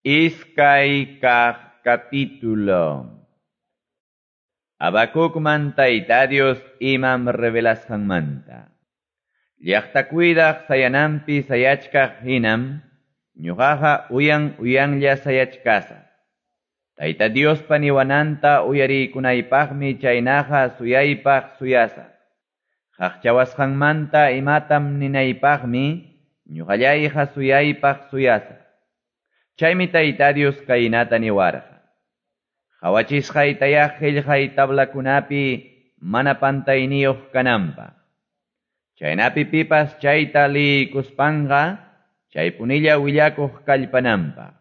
Iskay kaq capítulo. Habacucman Tayta Dios imam revelasqanmanta. Llaqta cuidaq sayananpi sayachkaq hinam, ñuqaqa uyan uyanlla sayachkasaq. Tayta Diospa niwananta uyarikunaypaqmi chaynaqa suyaypaq suyasaq. Qaqchawasqanmanta imatam ninaypaqmi ñuqallayqa suyaypaq suyasaq. Chaymi Tayta Dios kaynata niwarqa. Qhawachisqaytayá qillqay tablakunapi mana pantayniyuq kananpaq. Chaynapi pipas chayta liykuspanqa chaypunilla willakuq kallpananpaq.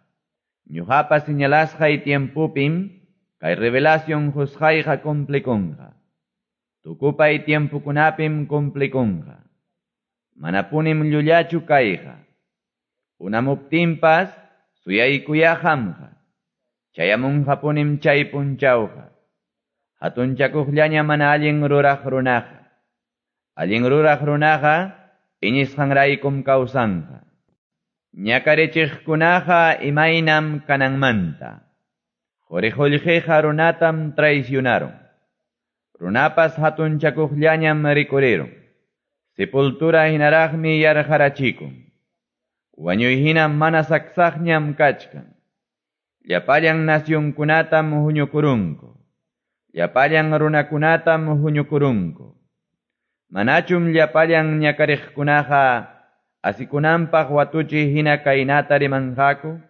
Ñuqapa señalasqay tiempupim kay revelación qusqayqa cumplikunqa. Tukupay tiempukunapim cumplikunqa. Manapunim llullachu kayqa. Unamuptinpas suyaykuya qamqa. Chayamunqapunim chay punchawqa. Hatunchakuqllaña mana allin ruraq runaqa. Allin ruraq runaqa iñisqanraykum kawsanqa. Ñakarichiqkunaqa imaynam kananmanta. Quri-qullqiqa runatam traicionaron. Runapas hatunchakuqllañam rikurirun. Sepultura hinaraqmi yarqarachikun. Wañuy hina mana saksaqñam kachkan. Llapallan nacionkunatam huñukurunku. Llapallan runakunatam huñukurunku. Manachum llapallan ñakariqkunaqa asikunanpaq watuchi hina kaynata rimanqaku.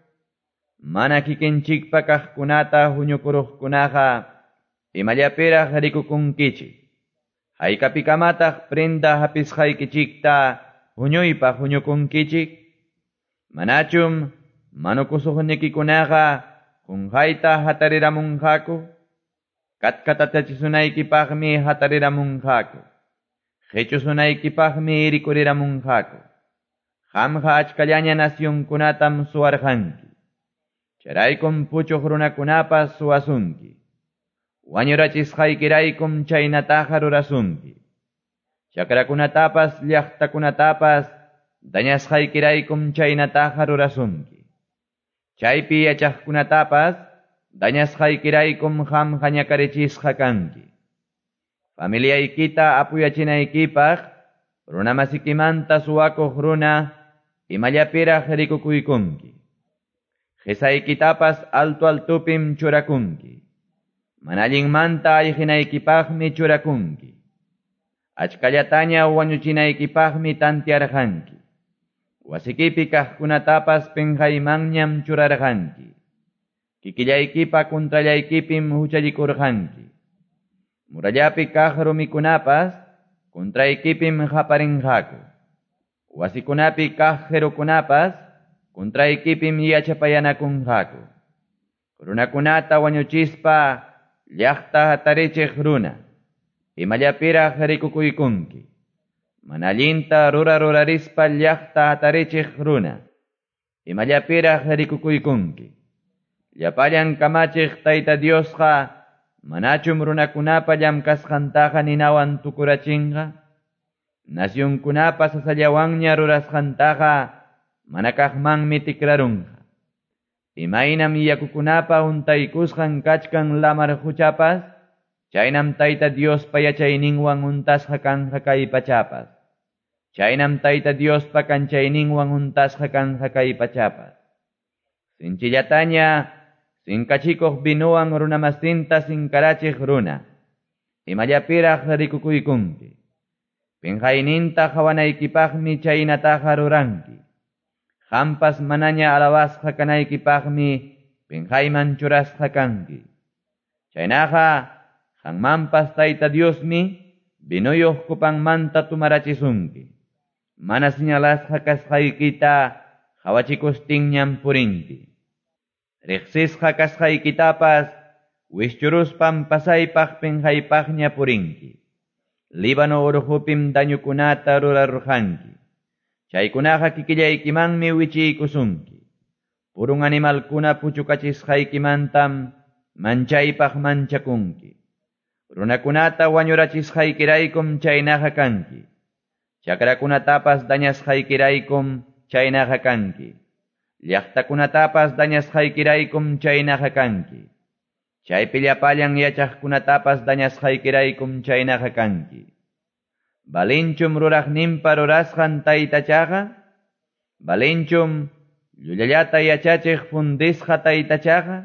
Mana kikinchikpa kaqkunata huñukuruqkunaqa imallapiraq rikukunkichik. Haykapikamataq prenda hapisqaykichikta huñuypaq huñukunkichik. Manachum manukusuqnikikunaqa qunqayta hatariramunqaku. Katkatachisunaykipaqmi hatariramunqaku. Qichusunaykipaqmi rikuriramunqaku. Qamqa achkallaña nacionkunatam suwarqanki. Chayraykum puchuq runakunapas suwasunki. Wañurachisqaykiraykum chaynataqa rurasunki. Chakrakunatapas llaqtakunatapas dañasqaykiraykum chaynataqa rurasunki. Chaypi yachaqkunatapas dañasqaykiraykum qamqa ñakarichisqa kanki. Familiaykita apuyachinaykipaq runamasikimanta suwakuq runa imallapiraq rikukuykunki. Qisaykitapas alto altupim churakunki. Mana allinmanta ayqinaykipaqmi churakunki. Achkallataña wañuchinaykipaqmi tantiarqanki. Wasikipi kaqkunatapas pinqaymanñam churarqanki. Kikillaykipa contrallaykipim huchallikurqanki. Murallapi kaq rumikunapas contraykipim qaparinqaku. Wasikunapi kaq qirukunapas contraykipim yachapayanakunqaku. Runakunata wañuchispa llaqta hatarichiq runa, imallapiraq rikukuykunki. Mana allinta rurararispa llaqta hatarichiq runa, imallapiraq rikukuykunki. Llapallan kamachiq Tayta Diosqa manachum runakunapa llamkasqantaqa ninawan tukurachinqa. Nacionkunapa sasallawanña rurasqantaqa mana kaqmanmi tikrarunqa. Imaynam yakukunapa untaykusqan kachkan lamar quchapas, chaynam Tayta Diospa yachayninwan untasqa kanqa kay pachapas. Chaynam Tayta Diospa kanchayninwan untasqa kanqa kay pachapas. Sinchillataña sinkachikuq vinuwan runamasinta sinkarachiq runa, imallapiraq rikukuykunki. Pinqayninta qhawanaykipaqmi chaynataqa ruranki. Qampas manaña alabasqa kanaykipaqmi pinqayman churasqa kanki. Chaynaqa qanmanpas Tayta Diosmi vinuyuq kupanmanta tumarachisunki. Mana señalasqa kasqaykita qhawachikustinñam purinki. Riqsisqa kasqaykitapas wischuruspan pasaypaq pinqaypaqña purinki. Líbano urqupim dañukunata rurarqanki. Chaykunaqa kikillaykimanmi wichiykusunki. Purun animalkuna puchukachisqaykimantam manchaypaq manchakunki. Runakunata wañurachisqaykiraykum chaynaqa kanki. Chakrakunatapas dañasqaykiraykum chaynaqa kanki. Llaqtakunatapas dañasqaykiraykum chaynaqa kanki. Chaypi llapallan yachaqkunatapas dañasqaykiraykum chaynaqa kanki. Valenchum ruraqninpa rurasqan taytachaqa? Valenchum llullallata yachachiq fundisqa taytachaqa?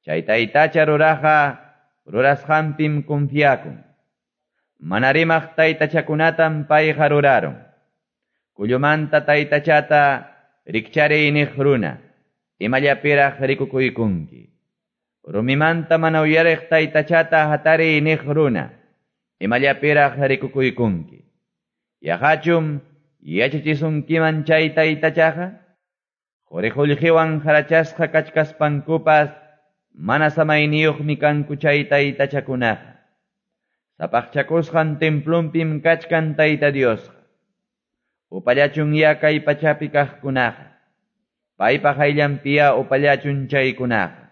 Chay taytacha ruraqa rurasqanpim confiakun. Mana rimaq taytachakunatam payqa rurarun. Kullumanta taytachata rikchariy niq runa, imallapiraq rikukuykunki. Rumimanta mana uyariq taytachata hatariy niq runa, imallapiraq rikukuykunki. Yaqachum yachachisunkiman chay taytachaqa? Quri-qullqiwan harachasqa kachkaspankupas mana samayniyuqmi kanku chay taytachakunaqa. Sapaqchakusqan templunpim kachkan Tayta Diosqa. Upallachun ya kay pachapi kaqkunaqa. Paypa hayllanpiya upallachun chaykunaqa.